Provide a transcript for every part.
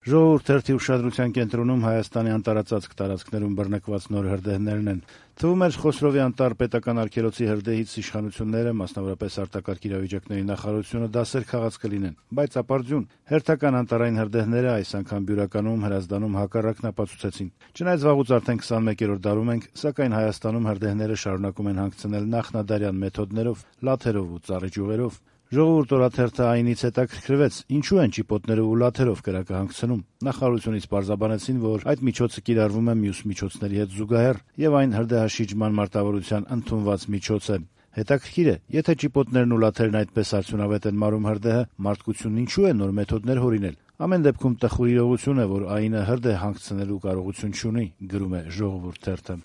Ժողովուրդ թերթի ուշադրության կենտրոնում Հայաստանի անտարածածկ տարածքներում բռնկված նոր հրդեհներն են։ Թվում էր Խոսրովի անտառ պետական արգելոցի հրդեհից իշխանությունները, մասնավորապես արտակարգ իրավիճակների նախարարությունը դասեր քաղած կլինեն, բայց ապարդյուն, հերթական անտառային հրդեհները այս անգամ Բյուրականում, Հրազդանում հակառակն ապացուցեցին։ Չնայած վաղուց արդեն 21-րդ դարում ենք, սակայն Հայաստանում հրդեհները շարունակում են հանգցնել նախնադարյան մեթոդներով, լաթերով ու ծառի ճյուղերով։ Ժողովուրդ օրաթերթը այնից հետաքրքրվեց, ինչու են ճիպոտներով ու լաթերով կրակը հանգցնում։ Նախարարությունից պարզաբանեցին, որ այդ միջոցը կիրառվում է մյուս միջոցների հետ զուգահեռ եւ այն հրդեհաշիջման մարտավարության ընդունված միջոց է։ Հետաքրքիր է, եթե ճիպոտներն ու լաթերն այդպես արդյունավետ են մարում հրդեհը, մարդկությունն ինչու է նոր մեթոդներ հորինել։ Ամեն դեպքում տխուր իրողություն է, որ այնը հրդեհ հանգցնելու կարողություն չունի, գրում է Ժողովուրդ թերթը։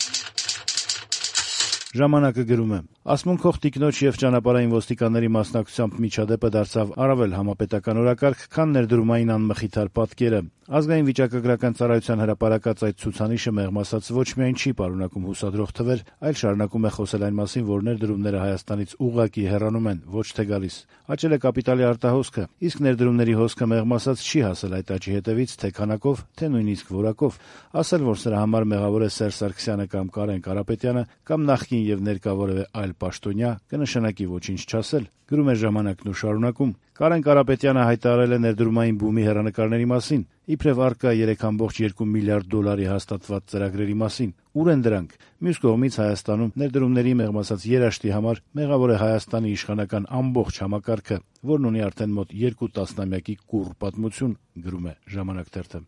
Ժամանակը գրում է. «Ասմունքող տիկնոջ եւ ճանապարհային ոստիկանների մասնակցությամբ միջադեպը դարձավ առավել համապետական օրակարգ, քան ներդրումային անմխիթար պատկերը։ Ազգային վիճակագրական ծառայության հրապարակած այդ ցուցանիշը մեղմ ասած ոչ միայն չի պարունակում հուսադրող թվեր, այլ շարունակում է խոսել այն մասին, որ ներդրումները Հայաստանից ուղղակի հեռանում են, ոչ թե գալիս։ Աճել է կապիտալի արտահոսքը, իսկ ներդրումների հոսքը մեղմ ասած չի հասել այդ աճի հետևից թե քանակով, թե նույնիսկ որակով։ Ասել, որ սրա համար մեղավոր է Սերժ Սարգսյանը կամ Կարեն Կարապետյանը կամ նախկին եւ ներկա որևէ այլ պաշտոնյա, կնշանակի ոչինչ չասել», գրում է Ժամանակն ու շարունակում. «Կարեն Կարապետյանը հայտարարել է ներդրումային բումի հեռանկարների մասին, իբրև առկա 3.2 միլիարդ դոլարի հաստատված ծրագրերի մասին։ Ուր են դրանք։ Մյուս կողմից Հայաստանում ներդրումների մեղմ ասած երաշտի համար մեղավոր է Հայաստանի իշխանական ամբողջ համակարգը, որն ունի արդեն մոտ 2 տասնամյակի կուռ պատմություն», գրում է Ժամանակ թերթը։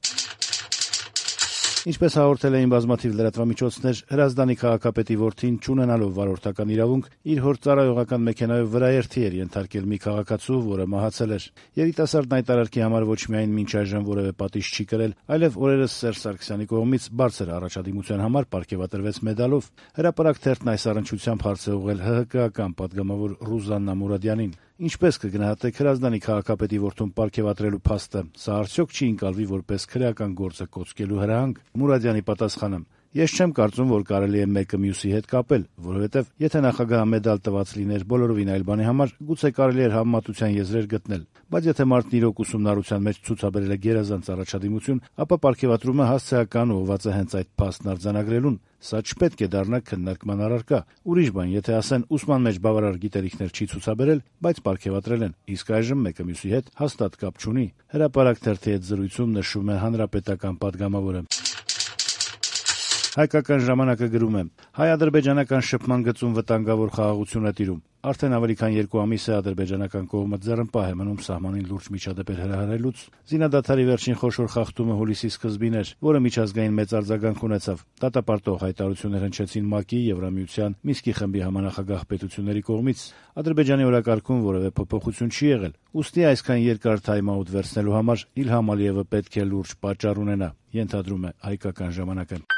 Ինչպես հաղորդել էին բազմաթիվ լրատվամիջոցներ, Հրազդանի քաղաքապետի որդին, չունենալով վարորդական իրավունք, իր հոր ծառայողական մեքենայով վրաերթի էր ենթարկել մի քաղաքացու, որը մահացել էր։ Երիտասարդն այդ արարքի համար ոչ միայն մինչ այժմ որևէ պատիժ չի կրել, այլև օրերս Սերժ Սարգսյանի կողմից բարձր առաջադիմության համար պարգևատրվեց մեդալով։ Հրապարակ թերթն այս առնչությամբ հարց է ուղղել ՀՀԿ-ական պատգամավոր Ռուզաննա Մուրադյանին։ Ինչպես կգնահատեք Հրազդանի քաղաքապետի որդուն պարգևատրելու փաստը, սա արդյոք չի ընկալվի որպես քրեական գործը կոծկելու հրահանգ։ Մուրադյանի պատասխանը. «Ես չեմ կարծում, որ կարելի է մեկը մյուսի հետ կապել, որովհետև եթե նախագահը մեդալ տված լիներ բոլորովին այլ բանի համար, գուցե կարելի էր համեմատության եզրեր գտնել, բայց եթե մարդն իրոք ուսումնառության մեջ ցուցաբերել է գերազանց առաջադիմություն, ապա պարգևատրումը հասցեական ուղղված է հենց այդ փաստն արձանագրելուն։ Սա չպետք է դառնա քննարկման առարկա։ Ուրիշ բան, եթե ասեն ուսման մեջ բավարար գիտելիքներ չի ցուցաբերել, բայց պարգևատրել են, իսկ այժմ մեկը մյուսի հետ հաստատ կապ չունի», Հրապարակ թերթի հետ զրույցում նշում է հանրապետական պատգամավորը։ Հայկական ժամանակը գրում է. «Հայ-ադրբեջանական շփման գծում վտանգավոր խաղաղություն է տիրում։ Արդեն ավելի քան 2 ամիս է ադրբեջանական կողմը ձեռնպահ է մնում սահմանին լուրջ միջադեպեր հրահրելուց։ Զինադադարի վերջին խոշոր խախտումը հուլիսի սկզբին էր, որը միջազգային մեծ արձագանք ունեցավ։ Դատապարտող հայտարարություններ հնչեցին ՄԱԿ-ի, Եվրամիության, Մինսկի խմբի համանախագահ պետությունների կողմից։ Ադրբեջանի օրակարգում որևէ փոփոխություն չի եղել։ Ուստի այսքան երկար թայմ-աութ վերցնելու համար Իլհամ Ալիևը պետք է լուրջ պատճառ ունենա», ենթադրում է Հայկական ժամանակը։